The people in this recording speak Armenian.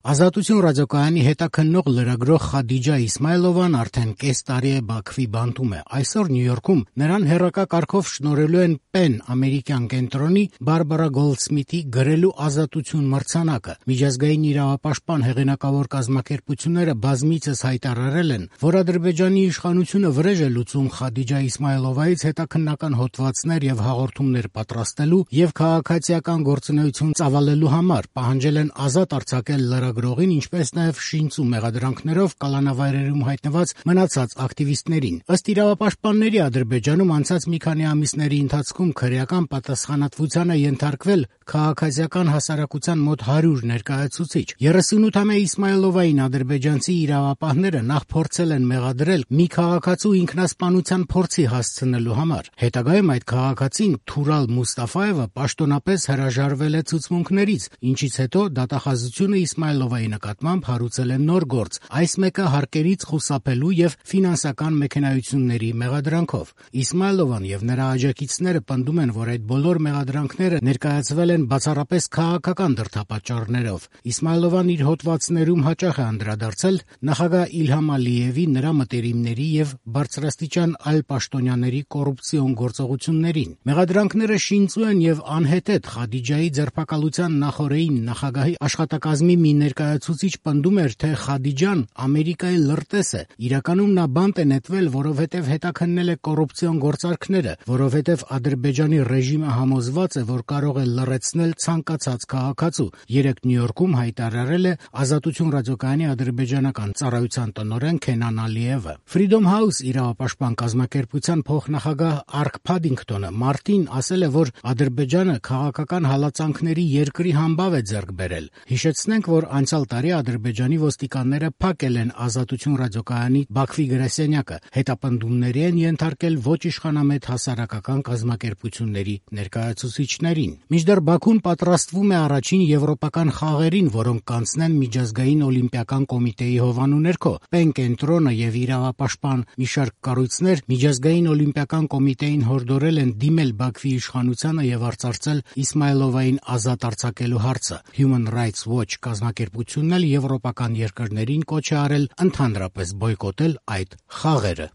Ազատություն ռադիոկայանի հետաքննող լրագրող Խադիջա Իսմայլովան արդեն կես տարի է Բաքվի բանտում է։ Այսօր Նյու Յորքում նրան հեռակա կարգով շնորհելու են Պեն ամերիկյան կենտրոնի Բարբարա Գոլդսմիթի գրելու ազատություն մրցանակը։ Միջազգային իրավապաշտպան հեղինակավոր կազմակերպությունները բազմիցս հայտարարել են, որ Ադրբեջանի իշխանությունը վրեժ է լուծում Խադիջա Իսմայլովայից հետաքննական հոդվածներ եւ հաղորդումներ պատրաստելու եւ քաղաքացիական գործունեություն ծավալելու համար, պահանջել են ազատ արձակել լրագրողին, ինչպես նաև շինծ ու մեղադրանքներով կալանավայրերում հայտնված մնացած ակտիվիստներին։ Ըստ իրավապաշտպանների Ադրբեջանում անցած մի քանի ամիսների ընթացքում քրեական պատասխանատվության է ենթարկվել քաղաքացիական հասարակության մոտ 100 ներկայացուցիչ։ 38-ամյա Իսմայլովային ադրբեջանցի իրավապահները նախ փորձել են մեղադրել մի քաղաքացու ինքնասպանության փորձի հասցնելու համար։ Հետագայում այդ քաղաքացին Թուրալ Մուստաֆայևը պաշտոնապես հրաժարվել է ցուցմունքներից, ինչից հետո դատախազությունը Իսմայլովայի նկատմամբ հարուցել է նոր գործ, այս մեկը հարկերից խուսափելու եւ ֆինանսական մեքենայությունների մեղադրանքով։ Իսմայլովան եւ նրա աջակիցները պնդում են, որ այդ բոլոր մեղադրանքները ներկայացվել են բացառապես քաղաքական դրդապատճառներով։ Իսմայլովան իր հոդվածներում հաճախ է անդրադարձել նախագահ Իլհամ Ալիևի, նրա մտերիմների եւ բարձրաստիճան այլ պաշտոնյաների կոռուպցիոն գործողություններին։ Մեղադրանքները շինծու են եւ անհետեթ Խադիջայի ձերբակալության նախօրեին նախագահի աշխատակազմի մի ներկայացուցիչ պնդում էր, թե Խադիջան Ամերիկայի լրտես է։ Իրականում նա բանտ է նետվել, որովհետև հետաքննել է կոռուպցիոն գործարքները, որովհետև Ադրբեջանի ռեժիմը համոզված է, որ կարող է լռեցնել ցանկացած քաղաքացու։ Երեկ Նյու Յորքում հայտարարել է Ազատություն ռադիոկայանի ադրբեջանական ծառայության տնօրեն Քենան Ալիևը։ Freedom House իրավապաշտպան կազմակերպության փոխնախագահ Արք Փադինգտոնը մարտին ասել է, որ Ադրբեջանը քաղաքական հալածանքների երկրի համբավ է ձեռք բերել։ Հիշեցնենք, որ անցյալ տարի Ադրբեջանի ոստիկանները փակել են Ազատություն ռադիոկայանի Բաքվի գրասենյակը, հետապնդումների են ենթարկել ոչ իշխանամետ հասարակական կազմակերպությունների ներկայացուցիչներին։ Մինչդեռ Բաքուն պատրաստվում է առաջին եվրոպական խաղերին, որոնք կանցնեն Միջազգային օլիմպիական կոմիտեի հովանու ներքո։ Պեն կենտրոնը եւ իրավապաշտպան մի շարք կառույցներ Միջազգային օլիմպիական կոմիտեին հորդորել են դիմել Բաքվի իշխանությանը եւ արծարծել Իսմայլովային ազատ արձակելու հարցը։ Human Rights Watch կազմակերպությունն էլ եվրոպական երկրներին կոչ է արել ընդհանրապես բոյկոտել այդ խաղերը։